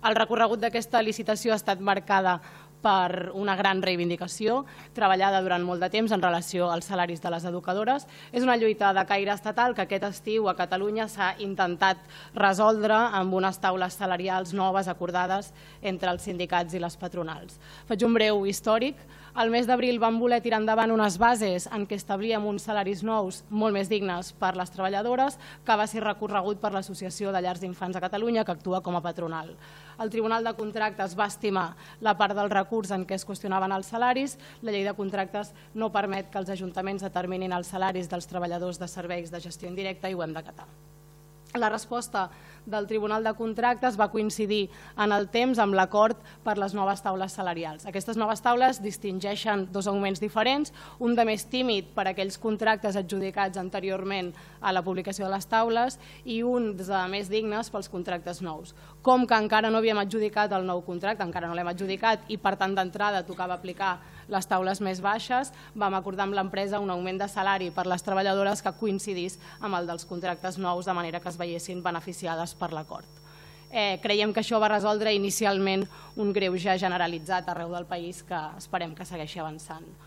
El recorregut d'aquesta licitació ha estat marcada per una gran reivindicació, treballada durant molt de temps en relació als salaris de les educadores. És una lluita de caire estatal que aquest estiu a Catalunya s'ha intentat resoldre amb unes taules salarials noves acordades entre els sindicats i les patronals. Faig un breu històric. Al mes d'abril vam voler tirar endavant unes bases en què establíem uns salaris nous molt més dignes per les treballadores, que va ser recorregut per l'Associació de Llars d'Infants de Catalunya, que actua com a patronal. El Tribunal de Contractes va estimar la part del recurs en què es qüestionaven els salaris. La llei de contractes no permet que els ajuntaments determinin els salaris dels treballadors de serveis de gestió indirecta i ho hem d'acatar. La resposta del Tribunal de Contractes va coincidir en el temps amb l'acord per les noves taules salarials. Aquestes noves taules distingeixen dos augments diferents, un de més tímid per a aquells contractes adjudicats anteriorment a la publicació de les taules i un de més dignes pels contractes nous. Com que encara no havíem adjudicat el nou contracte, encara no l'hem adjudicat i per tant d'entrada tocava aplicar les taules més baixes, vam acordar amb l'empresa un augment de salari per les treballadores que coincidís amb el dels contractes nous, de manera que es veiessin beneficiades per l'acord. Creiem que això va resoldre inicialment un greuge generalitzat arreu del país que esperem que segueixi avançant.